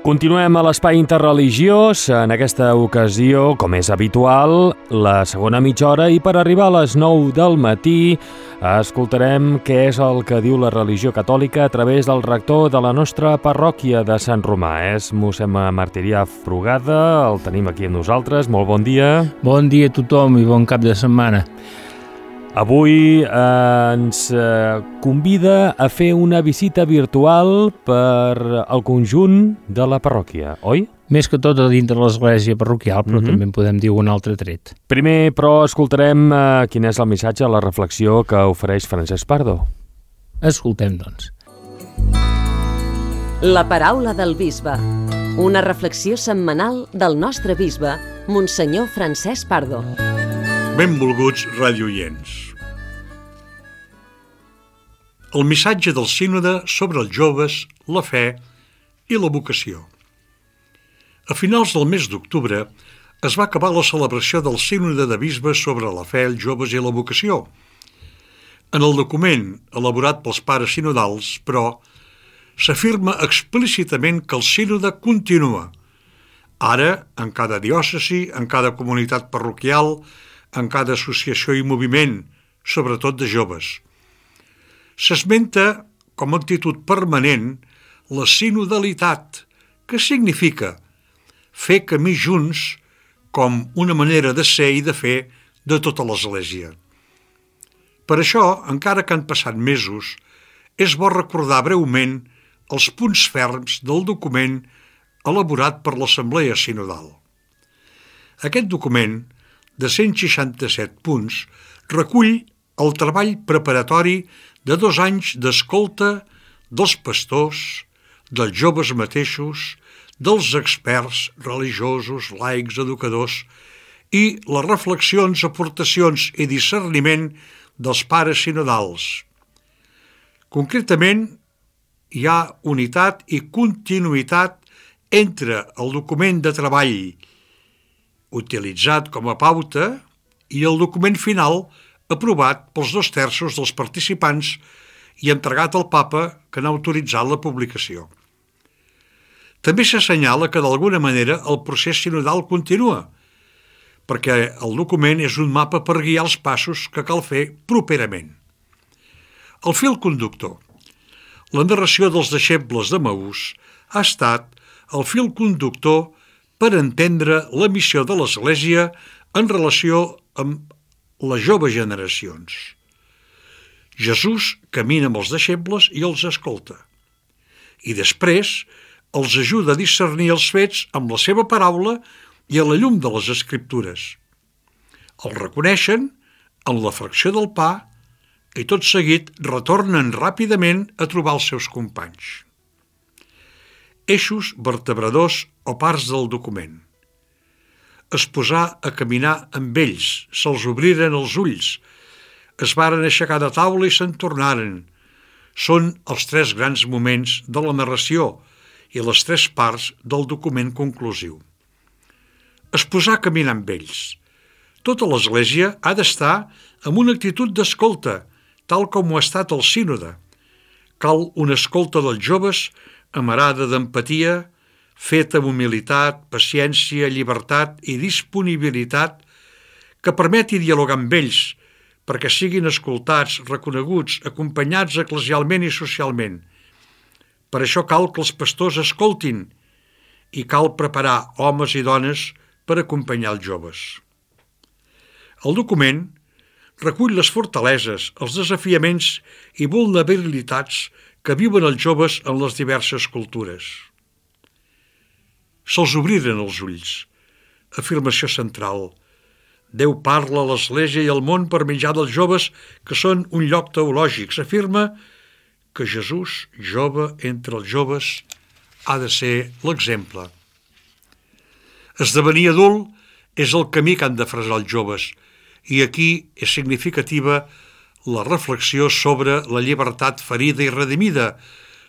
Continuem a l'espai interreligiós, en aquesta ocasió, com és habitual, la segona mitja hora, i per arribar a les 9 del matí escoltarem què és el que diu la religió catòlica a través del rector de la nostra parròquia de Sant Romà. És mossèn Martirià Frugada, el tenim aquí amb nosaltres. Molt bon dia. Bon dia a tothom i bon cap de setmana. Avui ens convida a fer una visita virtual per al conjunt de la parròquia, oi? Més que tot a dintre de l'església parroquial, però també en podem dir un altre tret. Primer, però, escoltarem quin és el missatge, la reflexió que ofereix Francesc Pardo. Escoltem, doncs. La paraula del bisbe. Una reflexió setmanal del nostre bisbe, Monsenyor Francesc Pardo. Benvolguts radioients. El missatge del sínode sobre els joves, la fe i la vocació. A finals del mes d'octubre es va acabar la celebració del sínode de bisbes sobre la fe, els joves i la vocació. En el document elaborat pels pares sinodals, però, s'afirma explícitament que el sínode continua, ara en cada diòcesi, en cada comunitat parroquial, en cada associació i moviment, sobretot de joves. S'esmenta com a actitud permanent la sinodalitat, que significa fer camí junts com una manera de ser i de fer de tota l'Església. Per això, encara que han passat mesos, és bo recordar breument els punts ferms del document elaborat per l'Assemblea Sinodal. Aquest document, de 167 punts, recull el treball preparatori de 2 anys d'escolta dels pastors, dels joves mateixos, dels experts religiosos, laics, educadors i les reflexions, aportacions i discerniment dels pares sinodals. Concretament, hi ha unitat i continuïtat entre el document de treball utilitzat com a pauta i el document final aprovat pels 2/3 dels participants i entregat al Papa, que n'ha autoritzat la publicació. També s'assenyala que d'alguna manera el procés sinodal continua, perquè el document és un mapa per guiar els passos que cal fer properament. El fil conductor. La narració dels deixebles de Maús ha estat el fil conductor per entendre la missió de l'Església en relació amb les joves generacions. Jesús camina amb els deixebles i els escolta. I després els ajuda a discernir els fets amb la seva paraula i a la llum de les Escriptures. Els reconeixen en la fracció del pa i tot seguit retornen ràpidament a trobar els seus companys. Eixos vertebradors o parts del document. Es posà a caminar amb ells, se'ls obriren els ulls, es varen aixecar de taula i se'n tornaren. Són els 3 grans moments de la narració i les 3 parts del document conclusiu. Es posà a caminar amb ells. Tota l'Església ha d'estar amb una actitud d'escolta, tal com ho ha estat el sínode. Cal una escolta dels joves amarada d'empatia, feta amb humilitat, paciència, llibertat i disponibilitat, que permeti dialogar amb ells, perquè siguin escoltats, reconeguts, acompanyats eclesialment i socialment. Per això cal que els pastors escoltin i cal preparar homes i dones per acompanyar els joves. El document recull les fortaleses, els desafiaments i vulnerabilitats que viuen els joves en les diverses cultures. Se'ls obriren els ulls. Afirmació central. Déu parla a l'Església i al món per mitjà dels joves que són un lloc teològic. S'afirma que Jesús, jove entre els joves, ha de ser l'exemple. Esdevenir adult és el camí que han de fresar els joves, i aquí és significativa la reflexió sobre la llibertat ferida i redimida,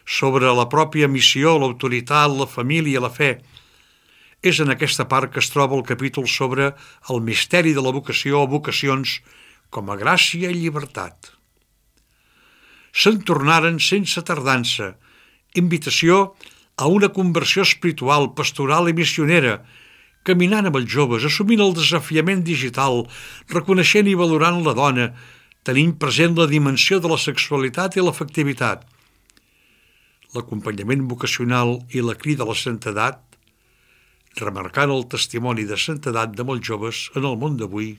sobre la pròpia missió, l'autoritat, la família, la fe. És en aquesta part que es troba el capítol sobre el misteri de la vocació o vocacions com a gràcia i llibertat. Se'n tornaren sense tardança, invitació a una conversió espiritual, pastoral i missionera, caminant amb els joves, assumint el desafiament digital, reconeixent i valorant la dona, tenint present la dimensió de la sexualitat i l'afectivitat, l'acompanyament vocacional i la crida a la santedat, remarcant el testimoni de santedat de molts joves en el món d'avui,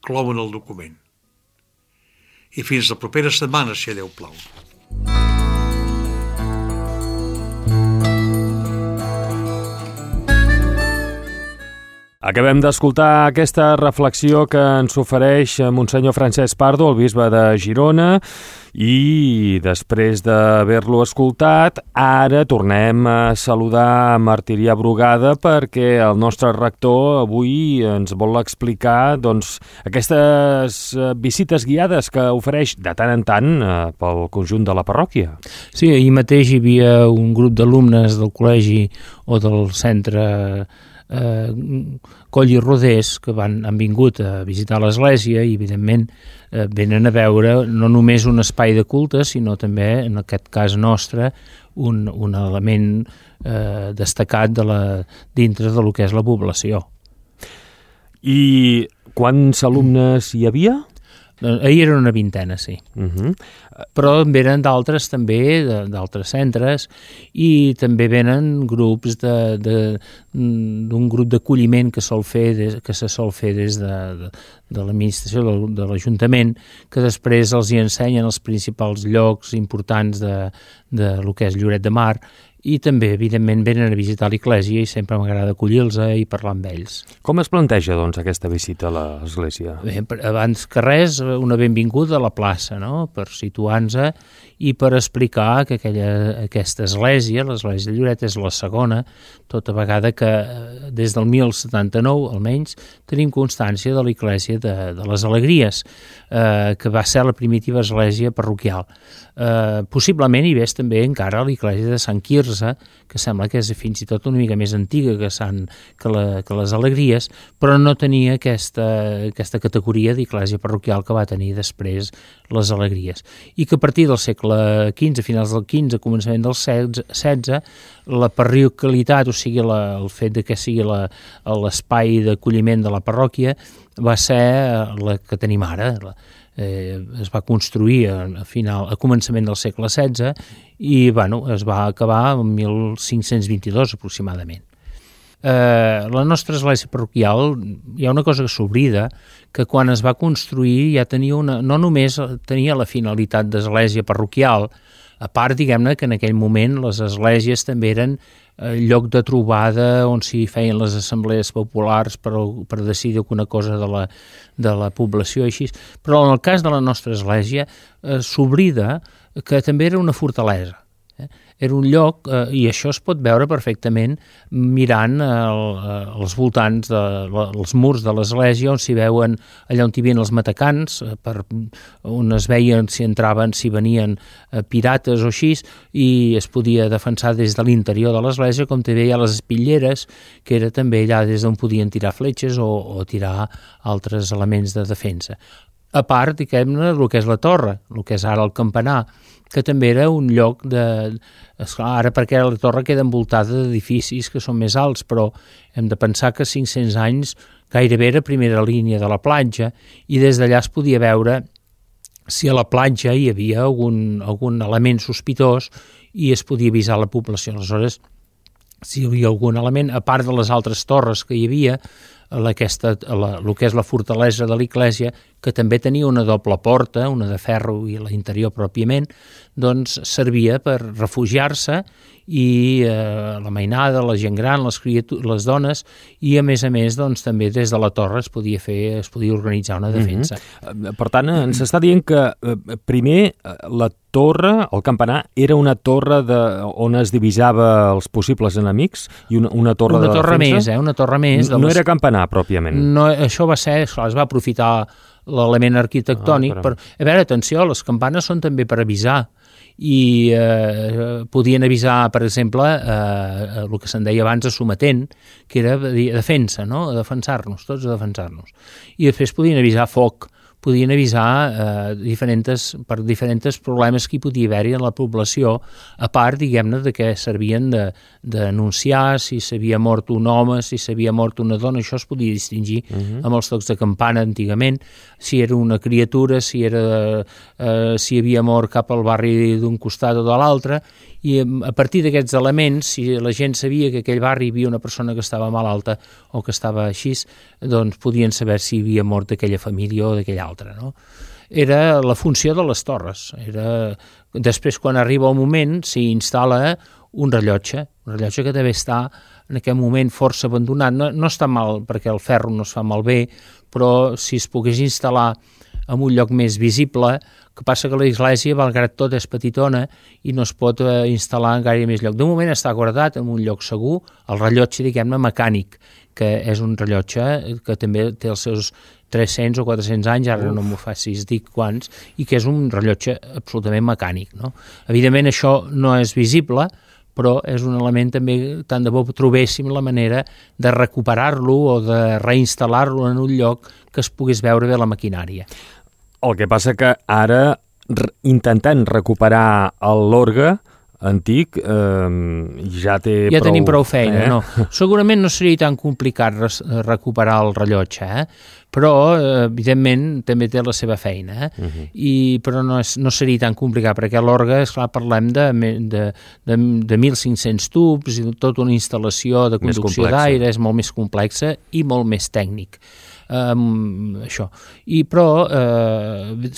clouen el document. I fins la propera setmana, si Déu plau. Acabem d'escoltar aquesta reflexió que ens ofereix Monsenyor Francesc Pardo, el bisbe de Girona, i després d'haver-lo escoltat, ara tornem a saludar Martirià Brugada perquè el nostre rector avui ens vol explicar aquestes visites guiades que ofereix de tant en tant pel conjunt de la parròquia. Sí, ahir mateix hi havia un grup d'alumnes del col·legi o del centre Coll i Rodés que han vingut a visitar l'església i evidentment venen a veure no només un espai de culte sinó també, en aquest cas nostre, un element destacat dintre de lo que és la població. I quants alumnes hi havia? Ahir era una vintena, sí. Però venen d'altres també, d'altres centres, i també venen grups d'un grup d'acolliment que se sol fer des de l'administració de l'Ajuntament, que després els hi ensenyen els principals llocs importants de lo que és Lloret de Mar, i també, evidentment, venen a visitar l'església i sempre m'agrada acollir-los i parlar amb ells. Com es planteja, aquesta visita a l'església? Bé, abans que res, una benvinguda a la plaça, no?, per situar-nos i per explicar que aquesta església, l'església de Lloret, és la segona, tota vegada que des del 1079, almenys, tenim constància de l'església de les Alegries, que va ser la primitiva església parroquial. Possiblement hi ves també encara l'església de Sant Quirze, que sembla que és fins i tot una mica més antiga que les Alegries, però no tenia aquesta categoria d'església parroquial que va tenir després les Alegries. I que a partir del segle XV, finals del XV, començament del XVI, la parroquialitat, o sigui, el fet de que sigui l'espai d'acolliment de la parròquia, va ser la que tenim ara. Es va construir a començament del segle XVI i es va acabar en 1522 aproximadament. La nostra església parroquial, hi ha una cosa que s'oblida, que quan es va construir ja tenia no només tenia la finalitat d'església parroquial, a part, diguem-ne, que en aquell moment les esglésies també eren lloc de trobada on s'hi feien les assemblees populars per decidir alguna cosa de la població i així. Però en el cas de la nostra església s'oblida que també era una fortalesa. Era un lloc, i això es pot veure perfectament mirant els voltants dels murs de l'església, on s'hi veuen allà on hi havien els matacans, on es veien si entraven, si venien pirates o així, i es podia defensar des de l'interior de l'església, com també hi ha les espitlleres, que era també allà des d'on podien tirar fletxes o tirar altres elements de defensa. A part, diguem-ne, el que és la torre, el que és ara el campanar, que també era un lloc ara perquè la torre queda envoltada d'edificis que són més alts, però hem de pensar que 500 anys gairebé era primera línia de la platja i des d'allà es podia veure si a la platja hi havia algun element sospitós i es podia avisar la població. Aleshores, si hi havia algun element, a part de les altres torres que hi havia, el que és la fortalesa de l'església, que també tenia una doble porta, una de ferro i l'interior pròpiament, doncs servia per refugiar-se i la mainada, la gent gran, les dones, i a més doncs també des de la torre es podia organitzar una defensa. Per tant, ens està dient que primer la torre, el campanar, era una torre on es divisava els possibles enemics i una torre de defensa? Una torre més. No era campanar, pròpiament? No, això va ser, es va aprofitar l'element arquitectònic. A veure, atenció, les campanes són també per avisar i podien avisar, per exemple, el que se'n deia abans de sometent, que era defensa, no? A defensar-nos, tots a defensar-nos. I després podien avisar foc, podien avisar per diferents problemes que hi podia haver-hi en la població, a part, diguem-ne, de que servien d'anunciar si s'havia mort un home, si s'havia mort una dona, això es podia distingir amb els tocs de campana antigament, si era una criatura, si havia mort cap al barri d'un costat o de l'altre, i a partir d'aquests elements, si la gent sabia que a aquell barri hi havia una persona que estava malalta o que estava així, doncs podien saber si havia mort d'aquella família o d'aquella altra, no? Era la funció de les torres. Després, quan arriba el moment, s'hi instal·la un rellotge que deve estar en aquest moment força abandonat. No està mal, perquè el ferro no es fa malbé, però si es pogués instal·lar en un lloc més visible, que passa que l'església, malgrat tot, és petitona i no es pot instal·lar en gaire més lloc. De moment està guardat en un lloc segur, el rellotge, diguem-ne, mecànic, que és un rellotge que també té els seus 300 o 400 anys, ara no m'ho facis dir quants, i que és un rellotge absolutament mecànic, no? Evidentment això no és visible, però és un element també, tant de bo trobéssim la manera de recuperar-lo o de reinstal·lar-lo en un lloc que es pogués veure bé la maquinària. El que passa que ara, intentant recuperar l'orgue antic, ja tenim prou feina, no? Segurament no seria tan complicat recuperar el rellotge, però, evidentment, també té la seva feina, però no seria tan complicat, perquè l'orgue, esclar, parlem de 1.500 tubs i tota una instal·lació de conducció d'aire, és molt més complexa i molt més tècnic. Però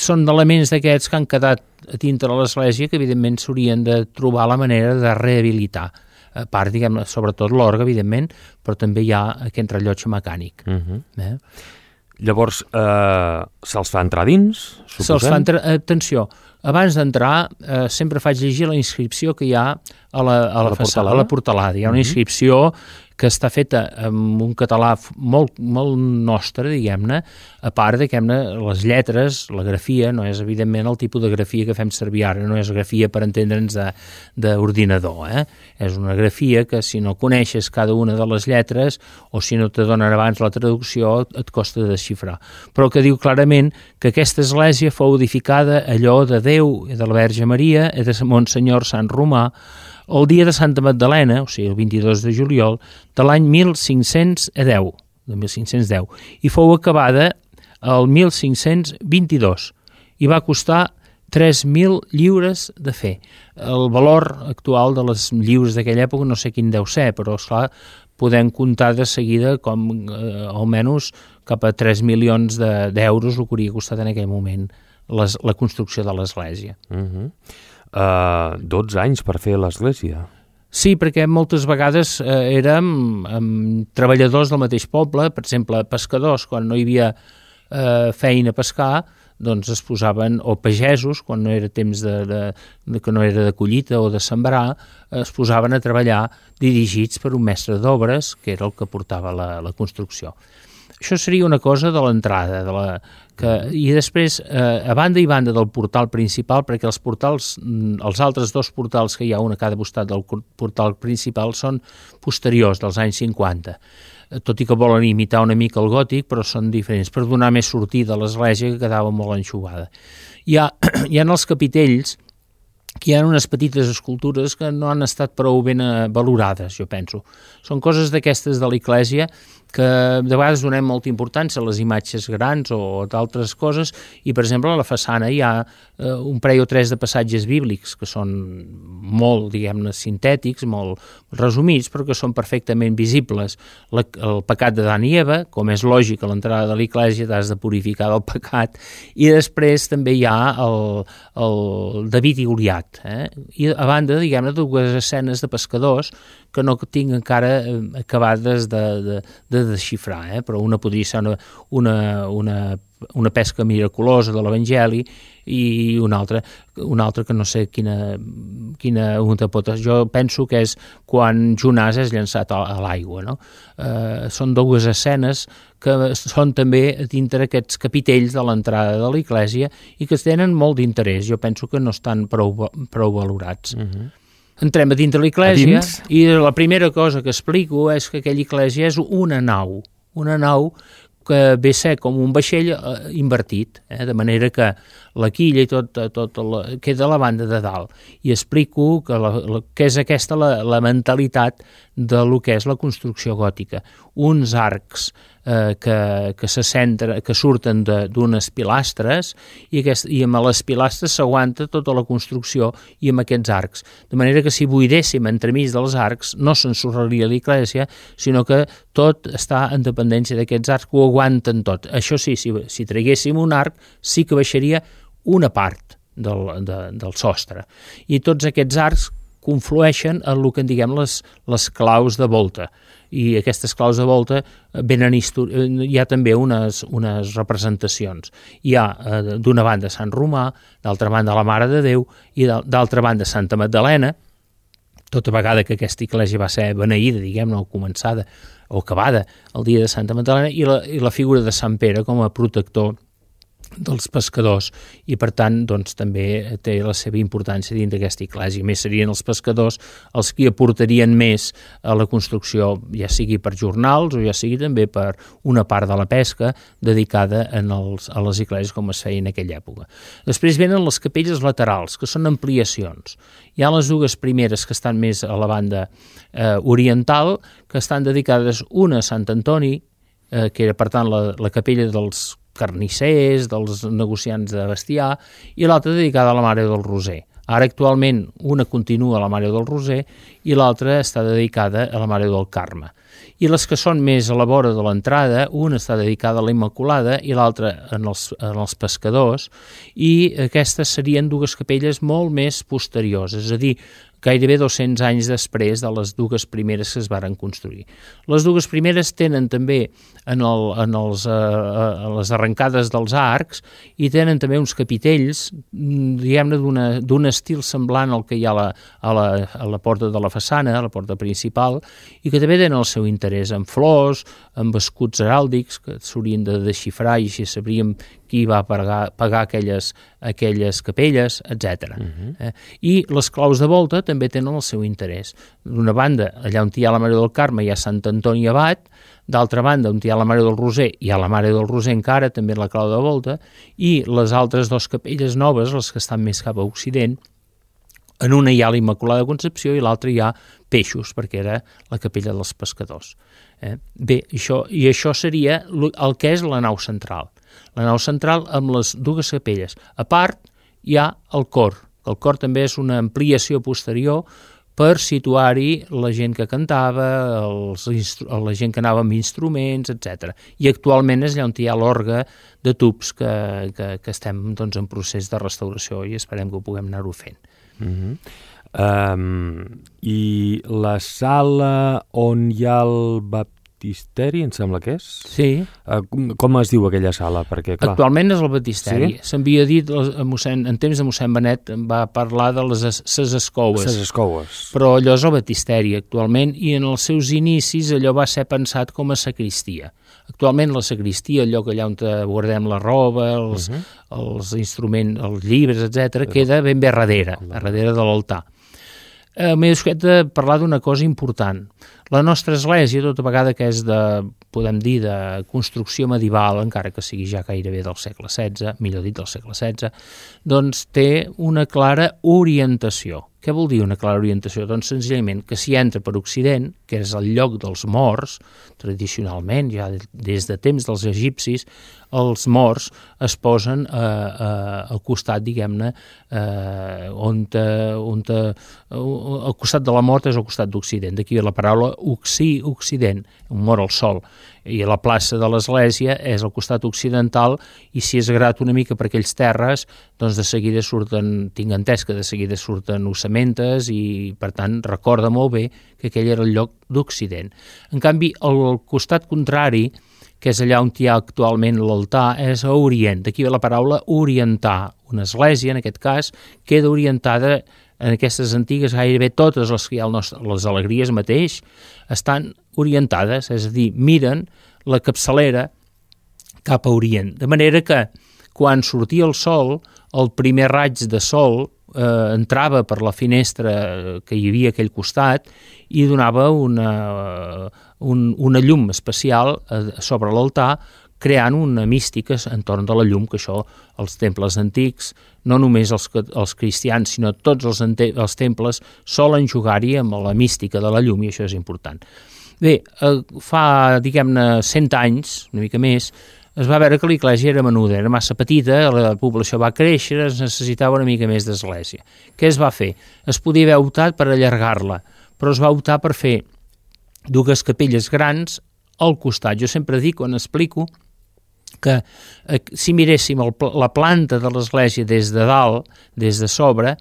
són elements d'aquests que han quedat a dintre de l'església que evidentment s'haurien de trobar la manera de rehabilitar, a part, diguem, sobretot l'orgue, evidentment, però també hi ha aquest rellotge mecànic. Llavors, se'ls fa entrar dins, suposem? Se'ls fa entrar, atenció, abans d'entrar sempre faig llegir la inscripció que hi ha a la façana, a la portalada. Hi ha una inscripció que està feta en un català molt, molt nostre, diguem-ne, a part de les lletres, la grafia, no és evidentment el tipus de grafia que fem servir ara, no és grafia per entendre'ns d'ordinador, és una grafia que si no coneixes cada una de les lletres o si no te donen abans la traducció et costa desxifrar, però que diu clarament que aquesta església fou edificada allò de Déu i de la Verge Maria i de Monsenyor Sant Romà el dia de Santa Magdalena, o sigui, el 22 de juliol, de l'any 1510, i fou acabada el 1522, i va costar 3.000 lliures de fer. El valor actual de les lliures d'aquella època no sé quin deu ser, però, esclar, podem comptar de seguida com almenys cap a 3 milions d'euros el que hauria costat en aquell moment la construcció de l'església. 12 anys per fer l'església. Sí, perquè moltes vegades érem treballadors del mateix poble, per exemple, pescadors, quan no hi havia feina a pescar, doncs es posaven, o pagesos, quan no era temps que no era de collita o de sembrar, es posaven a treballar dirigits per un mestre d'obres, que era el que portava la construcció. Això seria una cosa de l'entrada, i després, a banda i banda del portal principal, perquè els altres dos portals que hi ha, un a cada costat del portal principal, són posteriors, dels anys 50, tot i que volen imitar una mica el gòtic, però són diferents, per donar més sortida a l'església, que quedava molt enxugada. Hi ha els capitells, que hi ha unes petites escultures que no han estat prou ben valorades, jo penso. Són coses d'aquestes de l'església que de vegades donem molta importància a les imatges grans o d'altres coses, i per exemple a la façana hi ha un parell o tres de passatges bíblics que són molt, diguem-ne, sintètics, molt resumits, però que són perfectament visibles. El pecat d'Adam i Eva, com és lògic a l'entrada de l'església t'has de purificar del pecat, i després també hi ha el David i Goliat, i a banda, diguem-ne, dues escenes de pescadors que no tinc encara acabades de desxifrar, però una podria ser una pesca miraculosa de l'Evangeli i una altra que no sé quina pot ser. Jo penso que és quan Jonàs és llançat a l'aigua, no? Són dues escenes que són també dintre aquests capitells de l'entrada de l'església i que tenen molt d'interès. Jo penso que no estan prou valorats. Entrem a dintre l'església i la primera cosa que explico és que aquella església és una nau que ve a ser com un vaixell invertit, de manera que la quilla i tot queda a la banda de dalt. I explico que és aquesta la mentalitat de lo que és la construcció gòtica. Uns arcs que surten d'unes pilastres i amb les pilastres s'aguanta tota la construcció i amb aquests arcs. De manera que si buidéssim entremig dels arcs no s'ensorraria l'església, sinó que tot està en dependència d'aquests arcs que ho aguanten tot. Això sí, si traguéssim un arc sí que baixaria una part del sostre. I tots aquests arcs conflueixen en el que en diguem les claus de volta. I aquestes claus de volta hi ha també unes representacions. Hi ha d'una banda Sant Romà, d'altra banda la Mare de Déu i d'altra banda Santa Magdalena, tota vegada que aquesta església va ser beneïda, diguem-ne, o començada o acabada el dia de Santa Magdalena, i la figura de Sant Pere com a protector dels pescadors, i per tant doncs, també té la seva importància dins d'aquesta església. A més, serien els pescadors els que aportarien més a la construcció, ja sigui per jornals o ja sigui també per una part de la pesca dedicada a les esglésies com es feia en aquella època. Després venen les capelles laterals, que són ampliacions. Hi ha les dues primeres que estan més a la banda oriental, que estan dedicades una a Sant Antoni, que era per tant la capella dels carnissers, dels negociants de bestiar, i l'altra dedicada a la Mare del Roser. Ara actualment una continua a la Mare del Roser i l'altra està dedicada a la Mare del Carme. I les que són més a la vora de l'entrada, una està dedicada a la Immaculada i l'altra en els pescadors, i aquestes serien dues capelles molt més posteriors, és a dir, gairebé 200 anys després de les dues primeres que es varen construir. Les dues primeres tenen també en les arrencades dels arcs i tenen també uns capitells, diguem-ne, d'un estil semblant al que hi ha a la porta de la façana, a la porta principal, i que també tenen el seu interès en flors, amb escuts heràldics que s'haurien de desxifrar i així sabríem qui va pagar aquelles capelles, etc. I les claus de volta també tenen el seu interès. D'una banda, allà on hi ha la Mare del Carme hi ha Sant Antoni Abat, d'altra banda, on hi ha la Mare del Roser hi ha la Mare del Roser encara, també la clau de volta, i les altres dues capelles noves, les que estan més cap a Occident, en una hi ha la Immaculada Concepció i l'altra hi ha Peixos, perquè era la capella dels pescadors. Bé, això seria el que és la nau central. La nau central amb les dues capelles. A part, hi ha el cor. El cor també és una ampliació posterior per situar-hi la gent que cantava, la gent que anava amb instruments, etc. I actualment és allà on hi ha l'orgue de tubs que estem doncs, en procés de restauració i esperem que ho puguem anar-ho fent. I la sala on hi ha el baptisteri, em sembla que és? Sí. Com es diu aquella sala? Perquè, clar... Actualment és el baptisteri. Sí? S'havia dit, en temps de mossèn Benet, va parlar de ses escoues. Ses escoues. Però allò és el baptisteri actualment, i en els seus inicis allò va ser pensat com a sacristia. Actualment la sacristia, allò que allà on guardem la roba, els instruments, els llibres, etc., queda ben bé darrere de l'altar. M'he descuidat de parlar d'una cosa important. La nostra església, tota vegada que és podem dir, de construcció medieval, encara que sigui ja gairebé del segle XVI, millor dit del segle XVI, doncs té una clara orientació. Què vol dir una clara orientació? Doncs senzillament que s'hi entra per Occident, que és el lloc dels morts, tradicionalment, ja des de temps dels egipcis, els morts es posen al costat, diguem-ne, el costat de la mort és al costat d'Occident, d'aquí la paraula Occident, un mort al sol, i la plaça de l'església és al costat occidental, i si és grat una mica per aquells terres, doncs de seguida tinc entès que de seguida surten ossamentes i, per tant, recorda molt bé que aquell era el lloc d'Occident. En canvi, el costat contrari, que és allà on hi ha actualment l'altar, és a Orient. D'aquí ve la paraula orientar. Una església, en aquest cas, queda orientada en aquestes antigues, gairebé totes les que hi ha les alegries mateix, estan orientades, és a dir, miren la capçalera cap a Orient. De manera que, quan sortia el sol, el primer raig de sol entrava per la finestra que hi havia a aquell costat i donava una llum especial sobre l'altar creant una mística entorn de la llum, que això, els temples antics, no només els cristians, sinó tots els temples solen jugar-hi amb la mística de la llum, i això és important. Bé, fa, diguem-ne, 100 anys, una mica més, es va veure que l'església era menuda, era massa petita, la població va créixer, es necessitava una mica més d'església. Què es va fer? Es podia haver optat per allargar-la, però es va optar per fer 2 capelles grans al costat. Jo sempre dic, quan explico, que si miréssim la planta de l'església des de dalt, des de sobre,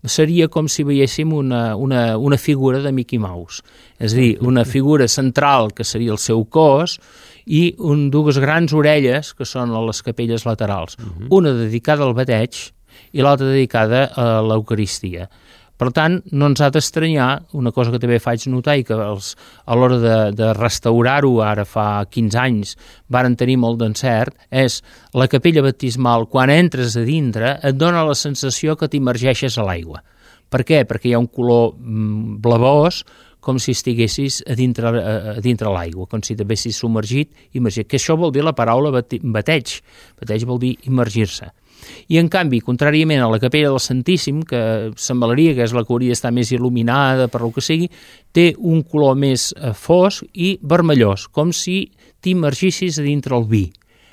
seria com si veiéssim una figura de Mickey Mouse. És a dir, una figura central, que seria el seu cos, i 2 grans orelles, que són les capelles laterals. Una dedicada al bateig i l'altra dedicada a l'Eucaristia. Per tant, no ens ha d'estranyar, una cosa que també faig notar i que a l'hora de restaurar-ho, ara fa 15 anys, varen tenir molt d'encert, és la capella baptismal, quan entres a dintre, et dona la sensació que t'immergeixes a l'aigua. Per què? Perquè hi ha un color blavós, com si estiguessis a dintre l'aigua, com si t'haguessis submergit, que això vol dir la paraula bateig. Bateig vol dir immergir-se. I, en canvi, contràriament a la capella del Santíssim, que semblaria que és la que hauria d'estar més il·luminada, per lo que sigui, té un color més fosc i vermellós, com si t'immergissis a dintre el vi,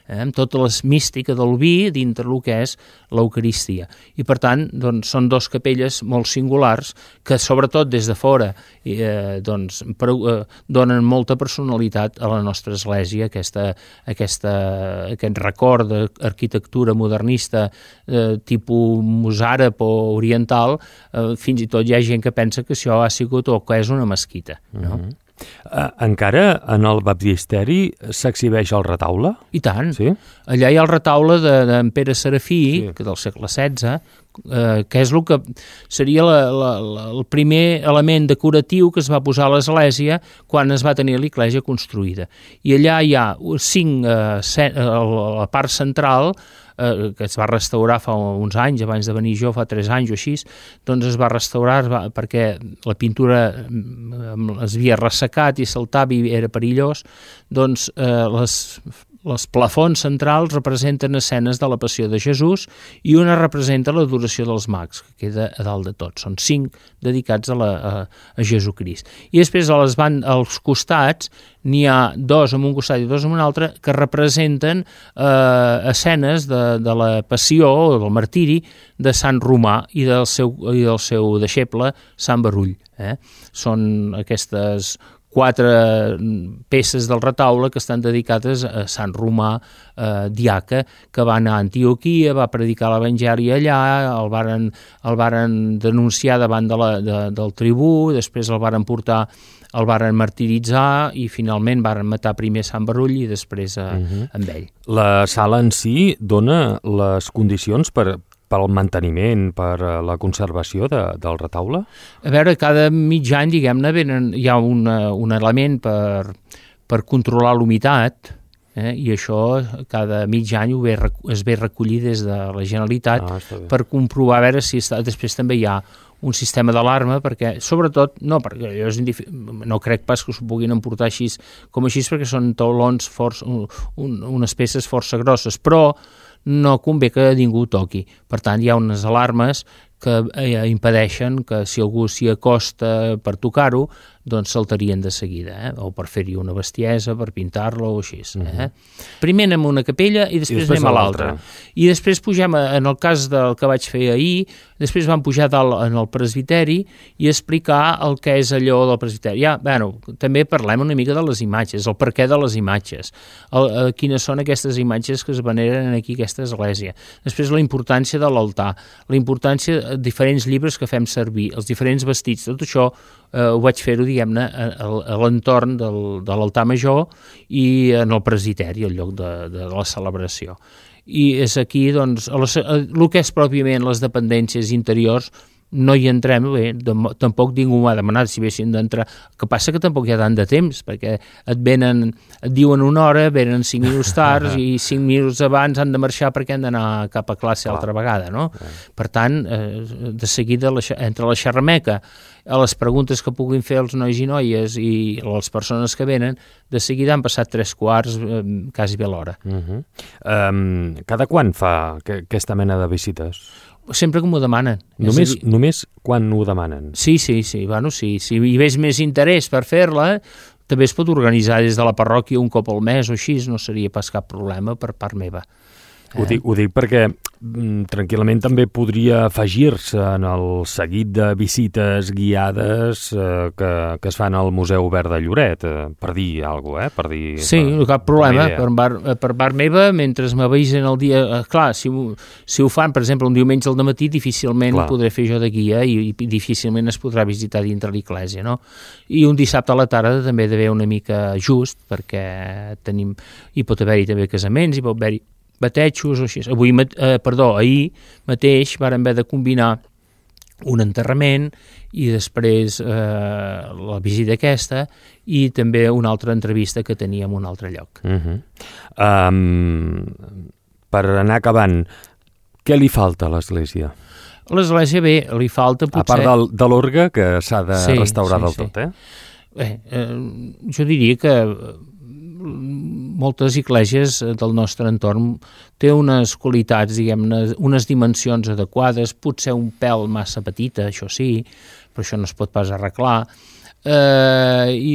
amb tota la mística del vi dintre el que és l'Eucaristia. I, per tant, doncs, són 2 capelles molt singulars que, sobretot des de fora, donen molta personalitat a la nostra església, aquest record d'arquitectura modernista tipus mosàrab o oriental. Fins i tot hi ha gent que pensa que això ha sigut o que és una mesquita, no? Encara en el baptisteri s'exhibeix el retaule? I tant. Sí? Allà hi ha el retaule d'en Pere Serafí, que del segle XVI, que és el que seria el primer element decoratiu que es va posar a l'església quan es va tenir l'església construïda. I allà hi ha 5, a la part central, que es va restaurar fa uns anys, abans de venir jo, fa 3 anys o així, doncs es va restaurar perquè la pintura es havia ressecat i saltava i era perillós, doncs les plafons centrals representen escenes de la Passió de Jesús i una representa l'adoració dels mags, que queda a dalt de tot. Són 5 dedicats a Jesucrist. I després als costats n'hi ha 2 en un costat i 2 en un altre que representen escenes de la passió o del martiri de Sant Romà i del seu deixeble Sant Barull. Són aquestes 4 peces del retaule que estan dedicades a Sant Romà diaca, que va anar a Antioquia, va predicar l'Evangeli allà, el varen denunciar davant del tribú, després el varen martiritzar i finalment varen matar primer Sant Barull i després amb ell. La sala en si dona les condicions per al manteniment, per la conservació del retaule? A veure, cada mig any, diguem-ne, hi ha un element per controlar l'humitat, i això cada mig any es ve recollir des de la Generalitat per comprovar a veure si després també hi ha un sistema d'alarma, perquè, sobretot, no crec pas que s'ho puguin emportar així, perquè són taulons unes peces força grosses, però no convé que ningú toqui. Per tant, hi ha unes alarmes que impedeixen que si algú s'hi acosta per tocar-ho, doncs saltarien de seguida, o per fer-hi una bestiesa, per pintar-la o així. Primer anem a una capella i després anem a l'altra. I després pugem, en el cas del que vaig fer ahir, després vam pujar dalt en el presbiteri i explicar el que és allò del presbiteri. També parlem una mica de les imatges, el perquè de les imatges, quines són aquestes imatges que es veneren aquí a aquesta església. Després la importància de l'altar, la importància de diferents llibres que fem servir, els diferents vestits, tot això ho vaig fer-ho, diguem-ne, a l'entorn de l'altar major i en el presbiteri, al lloc de la celebració. I és aquí, doncs, el que és pròpiament les dependències interiors, no hi entrem, bé, tampoc ningú m'ha demanat si haguessin d'entrar. El que passa que tampoc hi ha tant de temps, perquè et diuen una hora, venen 5 minuts tard i 5 minuts abans han de marxar perquè han d'anar cap a classe altra vegada, no? Per tant, de seguida, entre la xerrameca, a les preguntes que puguin fer els nois i noies i les persones que venen, de seguida han passat 3/4, quasi bé l'hora. Cada quan fa aquesta mena de visites? Sempre que m'ho demanen. Només quan ho demanen? Sí. Bueno, sí. Si hi veig més interès per fer-la, també es pot organitzar des de la parròquia un cop al mes o així, no seria pas cap problema per part meva. Ho dic perquè tranquil·lament també podria afegir-se en el seguit de visites guiades que es fan al Museu Obert de Lloret, per dir alguna cosa, Sí, cap problema. Per part meva, mentre m'avisen el dia... Clar, si ho fan, per exemple, un diumenge al dematí, difícilment podré fer jo de guia i difícilment es podrà visitar dintre l'església, no? I un dissabte a la tarda també ha d'haver una mica just, perquè hi pot haver-hi també casaments, hi pot haver-hi batejos o així. Ahir mateix vàrem haver de combinar un enterrament i després la visita aquesta i també una altra entrevista que teníem en un altre lloc. Per anar acabant, què li falta a l'església? A l'església, bé, li falta potser... A part de l'orgue, que s'ha de restaurar del tot, jo diria que moltes esglésies del nostre entorn té unes qualitats, diguem-ne, unes dimensions adequades, potser un pèl massa petita, això sí, però això no es pot pas arreglar, i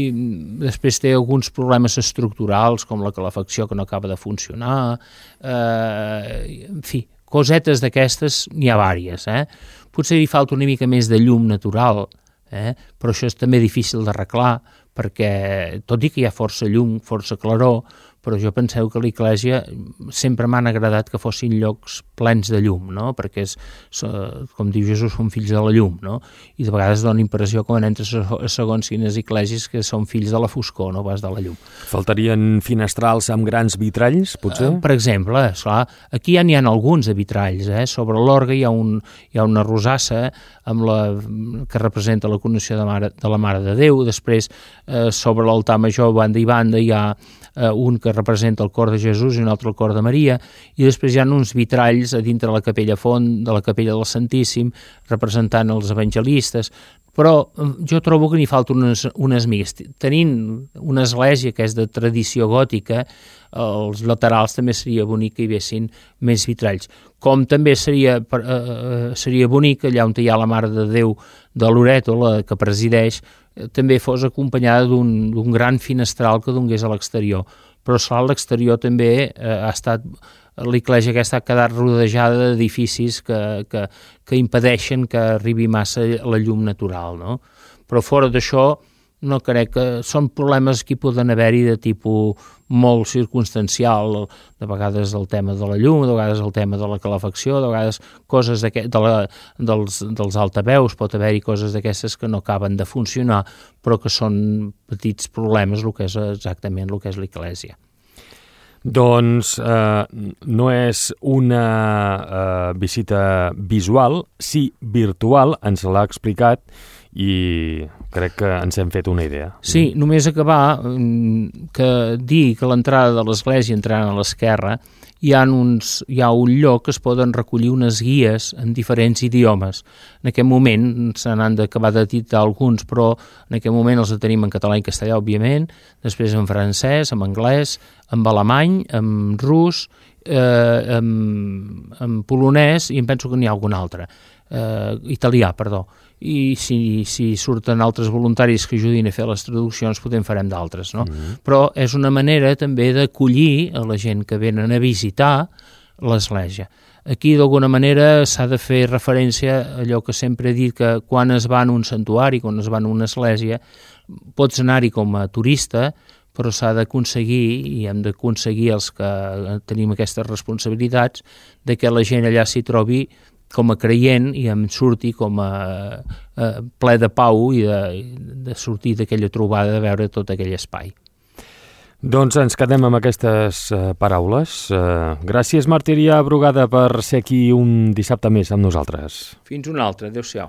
després té alguns problemes estructurals com la calefacció que no acaba de funcionar, en fi, cosetes d'aquestes n'hi ha vàries, potser hi falta una mica més de llum natural, però això és també difícil d'arreglar, perquè tot i que hi ha força llum, força claror, però jo penseu que a l'església sempre m'han agradat que fossin llocs plens de llum, no? Perquè, com diu Jesús, són fills de la llum, no? I de vegades dona impressió quan entres a segons quines esglésies que són fills de la foscor, no pas de la llum. Faltarien finestrals amb grans vitralls, potser? Per exemple, esclar, aquí ja n'hi ha alguns de vitralls, sobre l'orgue hi ha una rosassa que representa la coronació de la Mare de Déu, després sobre l'altar major, banda i banda, hi ha un que representa el cor de Jesús i un altre el cor de Maria, i després hi ha uns vitralls a dintre la capella font, de la capella del Santíssim, representant els evangelistes, però jo trobo que n'hi falta unes migues. Tenint una església que és de tradició gòtica, els laterals també seria bonic que hi haguessin més vitralls. Com també seria bonic allà on hi ha la Mare de Déu de Loreto, la que presideix, també fos acompanyada d'un gran finestral que donés a l'exterior. Però a l'exterior també ha estat l'església aquesta ha quedat rodejada d'edificis que impedeixen que arribi massa la llum natural, no? Però fora d'això no crec que són problemes que hi poden haver-hi de tipus molt circumstancial, de vegades el tema de la llum, de vegades el tema de la calefacció, de vegades coses dels altaveus, pot haver-hi coses d'aquestes que no acaben de funcionar, però que són petits problemes el que és exactament el que és l'església. Doncs no és una visita visual, sí virtual, ens l'ha explicat i crec que ens hem fet una idea. Sí, només acabar que dir que l'entrada de l'església entrant a l'esquerra hi ha un lloc que es poden recollir unes guies en diferents idiomes. En aquest moment se n'han d'acabar d'editar alguns, però en aquest moment els tenim en català i castellà, òbviament, després en francès, en anglès, en alemany, en rus, en polonès i em penso que n'hi ha algun altre, italià, perdó. I si surten altres voluntaris que ajudin a fer les traduccions, potser en farem d'altres, no? Però és una manera també d'acollir a la gent que venen a visitar l'església. Aquí, d'alguna manera, s'ha de fer referència a allò que sempre he dit, que quan es va en un santuari, quan es va en una església, pots anar-hi com a turista, però s'ha d'aconseguir, i hem d'aconseguir els que tenim aquestes responsabilitats, de que la gent allà s'hi trobi com a creient i em surti com a ple de pau i de sortir d'aquella trobada, de veure tot aquell espai. Doncs ens quedem amb aquestes paraules. Gràcies, Martirià Brugada, per ser aquí un dissabte més amb nosaltres. Fins un altre. Adéu-siau.